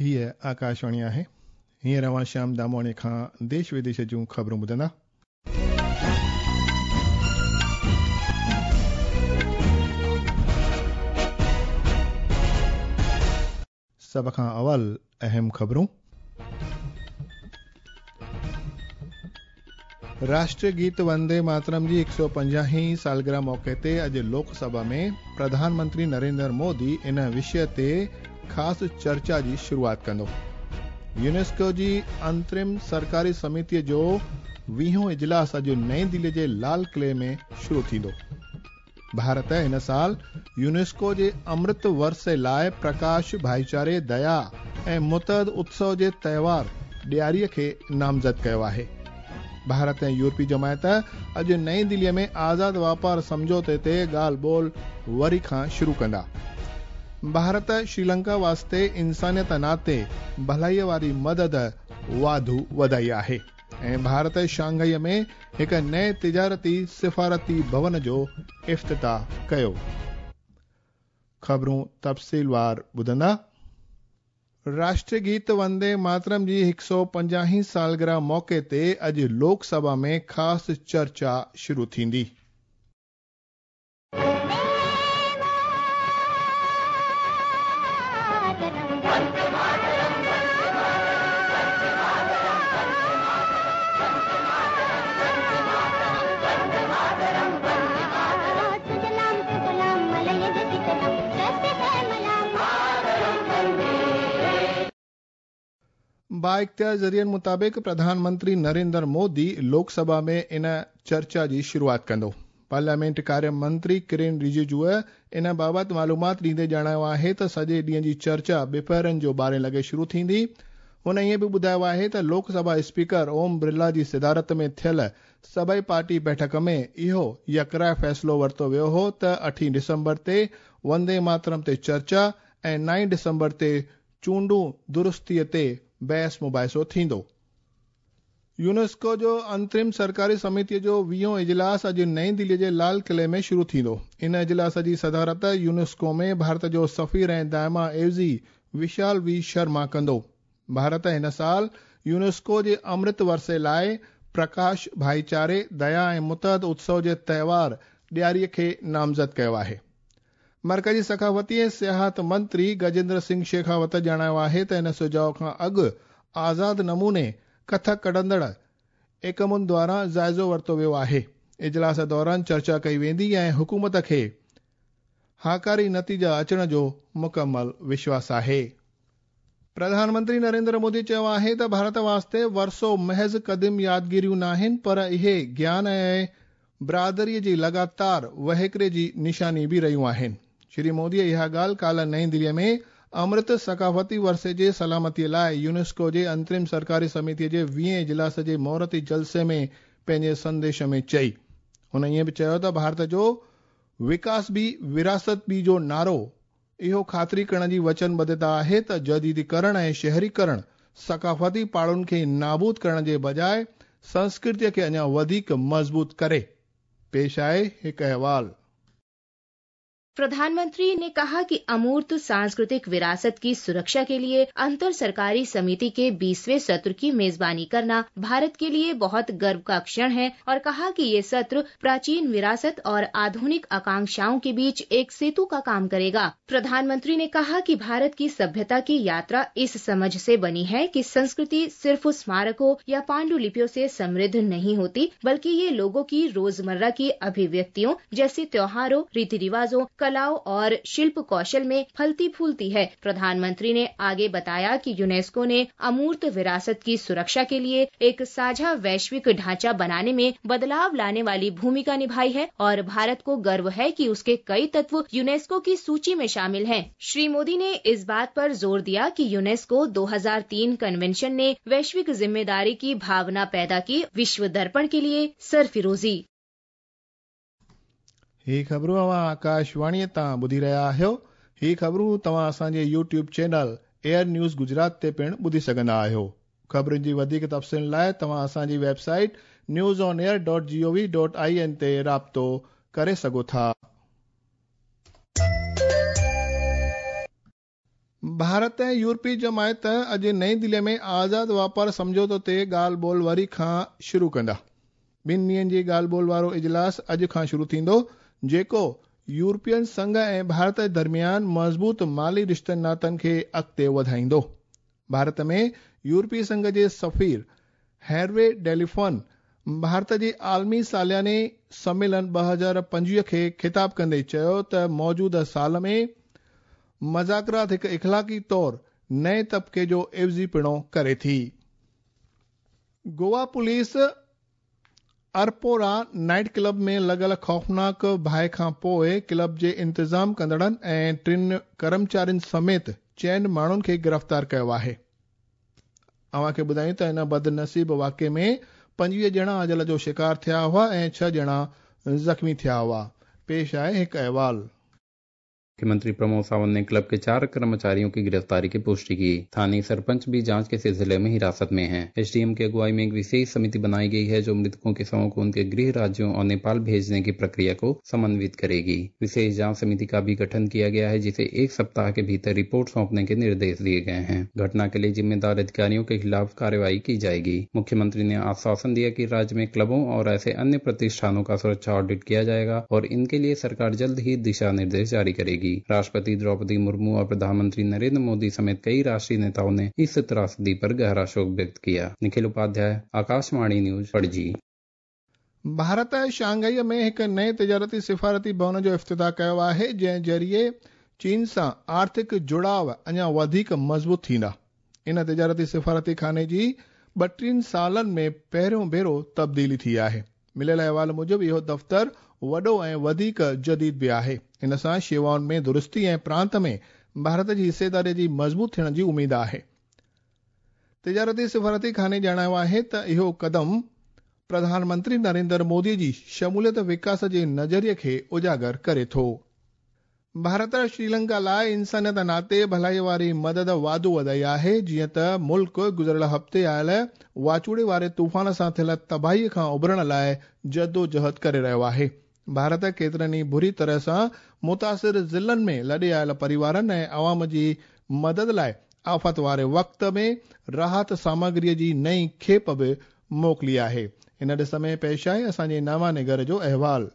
هيء آڪاشواڻي آهي. هينئر اوهان شيام دامواڻي کان ديش وديش جون خبرون ٻڌندا. سڀ کان اول اهم خبرون. راشٽريه گيت وندي ماترم جي 150 هين سالگرهه موقعي تي اڄ لوڪ سڀا ۾ پرڌان منتري نريندر مودي ان وشيه تي خاص چرچا جي شروعات ڪندو. يونيسڪو جي انترم سرڪاري سميتيء جو ويهون اجلاس اڄ نئين دهلي جي لال قلعي ۾ شروع ٿيندو. ڀارت هن سال يونيسڪو جي امرت ورثي لاء پرڪاش، ڀائيچاري، ديا ۽ متحد اتسو جي تهوار ڏياريء کي نامزد ڪيو آهي. ڀارت ۽ يورپي جماعت اڄ نئين دهليء ۾ آزاد واپار سمجهوتي تي ڳالهه ٻولهه وري کان شروع ڪندا. ڀارت شريلنڪا واسطي انسانيت ناتي ڀلائيء واري مدد واڌو وڌائي آهي. ۽ ڀارت شانگهائي ۾ هڪ نئين تجارتي سفارتي ڀون جو افتتاح ڪيو. خبرون تفصيلوار ٻڌندا. راشٽريه گيت وندي ماترم جي هڪ سؤ پنجاهين سالگرهه موقعي تي اڄ لوڪ سڀا ۾ خاص چرچا شروع ٿيندي. بااختيار ذريعن مطابق پرڌان منتري نريندر مودي لوڪ سڀا ۾ ان چرچا جي شروعات ڪندو. پارليامينٽ ڪاريه منتري ڪرين رجيجوء ان بابت معلومات ڏيندي ڄاڻايو آهي ته سڄي ڏينهن جي چرچا ٻپهرن جو ٻارهين لڳي شروع ٿيندي. هن ائين به ٻڌايو آهي ته لوڪ سڀا اسپيڪر اوم برلا جي صدارت ۾ ٿيل سڀئي پارٽي بيٺڪ ۾ اهو يڪراء فيصلو ورتو ويو هو ته اٺين ڊسمبر تي وندي ماترم تي چرچا ۽ نائين ڊسمبر تي چونڊون درستيء تي بحث مباحثو ٿيندو. يونيسڪو جو انترم سرڪاري سميتيء جو ويهون اجلاس اڄ نئين دهليء جي لال قلعي ۾ شروع ٿيندو. ان اجلاس جي صدارت يونيسڪو ۾ ڀارت جو سفير ۽ دائما عيوضي وشال وي شرما ڪندو. ڀارت هن سال يونيسڪو جي امرت ورثي لاء پرڪاش، ڀائيچاري، ديا ۽ متحد اتسو جي تهوار ڏياريء کي نامزد ڪيو آهي. مرڪزي ثقافتي ۽ سياحت منتري گجيندر سنگهه شيخاوت ڄاڻايو آهي ته ان سجهاء کان اڳ آزاد نموني ڪٿ ڪڍندڙ ايڪمن دواران جائزو ورتو ويو آهي. اجلاس دوران چرچا ڪئي ويندي ۽ حڪومت کي هاڪاري نتيجا اچڻ جو مڪمل وشواس آهي. پرڌان منتري نريندر مودي چيو آهي ته ڀارت واسطي ورثو محض قديم يادگيريون ناهن پر اهي گيان ۽ برادريء جي لڳاتار وهڪري جي نشاني به رهيون آهن. شري موديء اها ڳالهه ڪالهه نئين دهليء ۾ امرت ثقافتي ورثي جي سلامتيء لاء يونيسڪو جي انترم سرڪاري سميتيء جي ويهين اجلاس جي مهورتي جلسي ۾ پنهنجي سنديش ۾ چئي. هن ائين به چيو ته ڀارت جو وڪاس به وراثت به جو نعرو اهو خاطري ڪرڻ جي وچنبڌتا آهي ته جديديڪرڻ ۽ شهريڪرڻ ثقافتي پاڙن کي نابود ڪرڻ جي بجاء سنسڪرتيء کي اڃا وڌيڪ مضبوط ڪري. پيش آهي هڪ احوال. प्रधानमंत्री ने कहा कि अमूर्त सांस्कृतिक विरासत की सुरक्षा के लिए अंतर सरकारी समिति के 20वें सत्र की मेजबानी करना भारत के लिए बहुत गर्व का क्षण है और कहा कि ये सत्र प्राचीन विरासत और आधुनिक आकांक्षाओं के बीच एक सेतु का काम करेगा। प्रधानमंत्री ने कहा कि भारत की सभ्यता की यात्रा इस समझ से बनी है कि संस्कृति सिर्फ स्मारकों या पांडुलिपियों से समृद्ध नहीं होती, बल्कि ये लोगों की रोजमर्रा की अभिव्यक्तियों जैसे त्योहारों, रीति रिवाजों, कलाओं और शिल्प कौशल में फलती फूलती है। प्रधानमंत्री ने आगे बताया कि यूनेस्को ने अमूर्त विरासत की सुरक्षा के लिए एक साझा वैश्विक ढांचा बनाने में बदलाव लाने वाली भूमिका निभाई है और भारत को गर्व है कि उसके कई तत्व यूनेस्को की सूची में शामिल हैं। श्री मोदी ने इस बात पर जोर दिया कि यूनेस्को 2003 कन्वेंशन ने वैश्विक जिम्मेदारी की भावना पैदा की, विश्व दर्पण के लिए सरफिरोजी। هي خبرون اوهان آڪاشواڻيء تان ٻڌي رهيا آهيو. هي خبرون توهان اسان جي YouTube channel air news Gujarat تي پڻ ٻڌي سگهندا آهيو. خبرن جي وڌيڪ تفصيلن لاء توهان اسان جي website news on air dot G O V dot I N تي رابطو ڪري سگهو ٿا. ڀارت ۽ يورپي جماعت اڄ نئين دلي ۾ آزاد واپار سمجهوتو تي ڳالهه ٻولهه وري کان شروع ڪندا. ٻن ڏينهن جي ڳالهه ٻولهه وارو اجلاس اڄ کان شروع ٿيندو، جيڪو يورپين سنگهه ۽ ڀارت درميان مضبوط مالي رشتن ناتن کي اڳتي وڌائيندو. ڀارت ۾ يورپي سنگهه جي سفير هيروي ڊيليفن ڀارت جي عالمي سالياني سميلن 2025 کي خطاب ڪندي چيو ته موجوده سال ۾ مذاڪرات هڪ اخلاقي طور نئين طبقي جو عيوضي پڻو ڪري ٿي. گوا پوليس ارپورا نائيٽ ڪلب ۾ لڳل خوفناڪ باهه کان پوءِ ڪلب جي انتظام ڪندڙن ۽ ٽن ڪرمچارين سميت چئن ماڻهن کي گرفتار ڪيو آهي. اوهان کي ٻڌايون ته ان بدنصيب واقعي ۾ 25 ڄڻا اجل جو شڪار ٿيا هئا ۽ 6 ڄڻا زخمي ٿيا هئا. پيش آهي هڪ احوال. मुख्यमंत्री प्रमोद सावंत ने क्लब के 4 कर्मचारियों की गिरफ्तारी की पुष्टि की। स्थानीय सरपंच भी जांच के सिलसिले में हिरासत में हैं। एसडीएम की अगुवाई में एक विशेष समिति बनाई गई है जो मृतकों के शवों को उनके गृह राज्यों और नेपाल भेजने की प्रक्रिया को समन्वित करेगी। विशेष जांच समिति का भी गठन किया गया है जिसे 1 सप्ताह के भीतर रिपोर्ट सौंपने के निर्देश दिए गए हैं। घटना के लिए जिम्मेदार अधिकारियों के खिलाफ कार्रवाई की जाएगी। मुख्यमंत्री ने आश्वासन दिया कि राज्य में क्लबों और ऐसे अन्य प्रतिष्ठानों का सुरक्षा ऑडिट किया जाएगा और इनके लिए सरकार जल्द ही दिशा निर्देश जारी करेगी। राष्ट्रपति द्रौपदी मुर्मू और प्रधानमंत्री नरेंद्र मोदी समेत कई राष्ट्रीय नेताओं ने इस त्रासदी पर गहरा शोक व्यक्त किया। निखिल उपाध्याय, आकाशवाणी न्यूज, पणजी। भारत शंघाई में एक नए तिजारती सिफारती भवन जो इफ्तिताह कयो आहे, जंहिं ज़रिए चीन सां आर्थिक जुड़ाव अञा वधीक मज़बूत थींदा। इन तिजारती सिफारती खाने जी 32 सालनि में पहिरियों भेरो तब्दीली थी आहे। मिलियल अहवाल मूजिबि इहो दफ़्तर वॾो ऐं वधीक जदीद बि आहे। इन सां शेवाउनि में दुरुस्ती ऐं प्रांत में भारत जी हिस्सेदारीअ जी मज़बूत थियण जी उमेद आहे। तिजारती सिफारती खाने ॼाणायो आहे त इहो कदम प्रधानमंत्री नरेंद्र मोदी जी शमूलियत विकास जे नज़रिए खे उजागर करे थो। भारत श्रीलंका लाइ इंसानियत नाते भलाई वारी मदद वाधू वधाई आहे, जीअं त मुल्क गुज़िरियल हफ़्ते आयल वाचूड़े वारे तूफ़ान सां थियल तबाहीअ खां उभरण लाइ जदोजहद करे रहियो आहे। भारत केतिरनि ई बुरी तरह सां मुतासिर ज़िलनि में लॾे आयल परिवारनि ऐं अवाम जी मदद लाइ आफ़त वारे वक़्त में राहत सामग्रीअ जी नई खेप बि मोकिली आहे। इन ॾिस में पेश आहे असांजे नामानिगर जो अहवाल।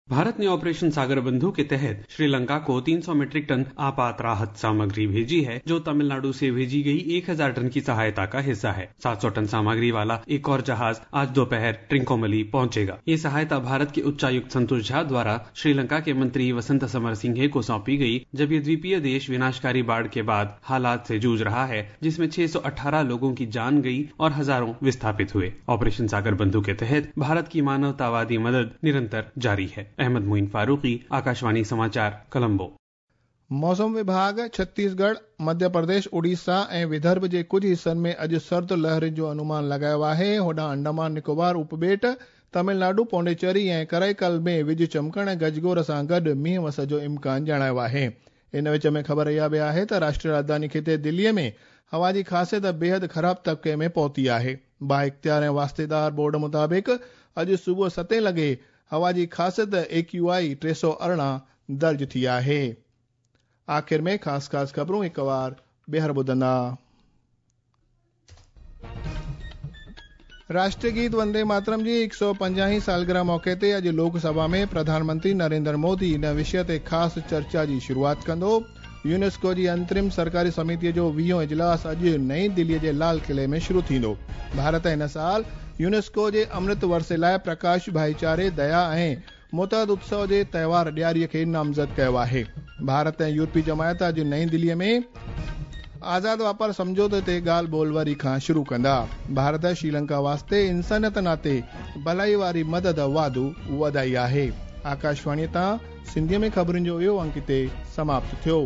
भारत ने ऑपरेशन सागर बंधु के तहत श्रीलंका को 300 मीट्रिक टन आपात राहत सामग्री भेजी है, जो तमिलनाडु से भेजी गई 1000 टन की सहायता का हिस्सा है। 700 टन सामग्री वाला एक और जहाज आज दोपहर ट्रिंकोमली पहुंचेगा। ये सहायता भारत के उच्चायुक्त संतोष झा द्वारा श्रीलंका के मंत्री वसंत समर सिंघे को सौंपी गई, जब ये द्वीपीय देश विनाशकारी बाढ़ के बाद हालात से जूझ रहा है, जिसमें 618 लोगों की जान गई और हजारों विस्थापित हुए। ऑपरेशन सागर बंधु के तहत भारत की मानवतावादी मदद निरंतर जारी है। अहमद मोइन फारूकी, आकाशवाणी समाचार, कोलंबो। मौसम विभाग छत्तीसगढ़, मध्य प्रदेश, उड़ीसा ऐं विदर्भ जे कुझु हिसनि में अॼु सर्द लहरनि जो अनुमान लॻायो आहे। होॾां अंडमान निकोबार उपॿेट, तमिलनाडु, पौंडीचेरी ऐं कराईकल में विज चमकण ऐं गजगोर सां गॾु मींहुं वस जो इम्कान ॼाणायो आहे। इन विच में ख़बर इहा बि आहे त राष्ट्रीय राजधानी ख़िते दिल्लीअ में हवा जी ख़ासियत बेहद ख़राब तबके में पहुती आहे। बाइख़्तियार ऐं वास्तेदार बोर्ड मुताबिक़ अॼु सुबुह 7 लॻे हवा जी ख़ासियत AQI 318 दर्ज थी आहे। आख़िर में ख़ासि ख़ासि ख़बरूं हिकु वार ॿीहर ॿुधंदा। राष्ट्रीय गीत वंदे मातरम जी 150 सालगिरह मौक़े ते अॼु लोकसभा में प्रधानमंत्री नरेंद्र मोदी इन विषय ते ख़ासि चर्चा जी शुरूआत कंदो। यूनेस्को जी अंतरिम सरकारी समितीअ जो 20हों इजलास अॼु नई दिल्लीअ जे लाल क़िले में शुरू थींदो। भारत हिन साल यूनेस्को जे अमृत वर्षे लाइ प्रकाश भाईचारे, दया ऐं मुतहद उत्सव जे त्योहार ॾियारीअ खे नामज़द कयो आहे। भारत ऐं यूरोपी जमायत अॼु नई दिल्लीअ में आज़ाद वापार सम्झौते ते ॻाल्हि ॿोल वरी खां शुरू कंदा। भारत श्रीलंका वास्ते इंसानियत नाते भलाई वारी मदद वाधू वधाई आहे। आकाशवाणीअ तां सिंधीअ में ख़बरुनि जो इहो अंक हिते समाप्त थियो।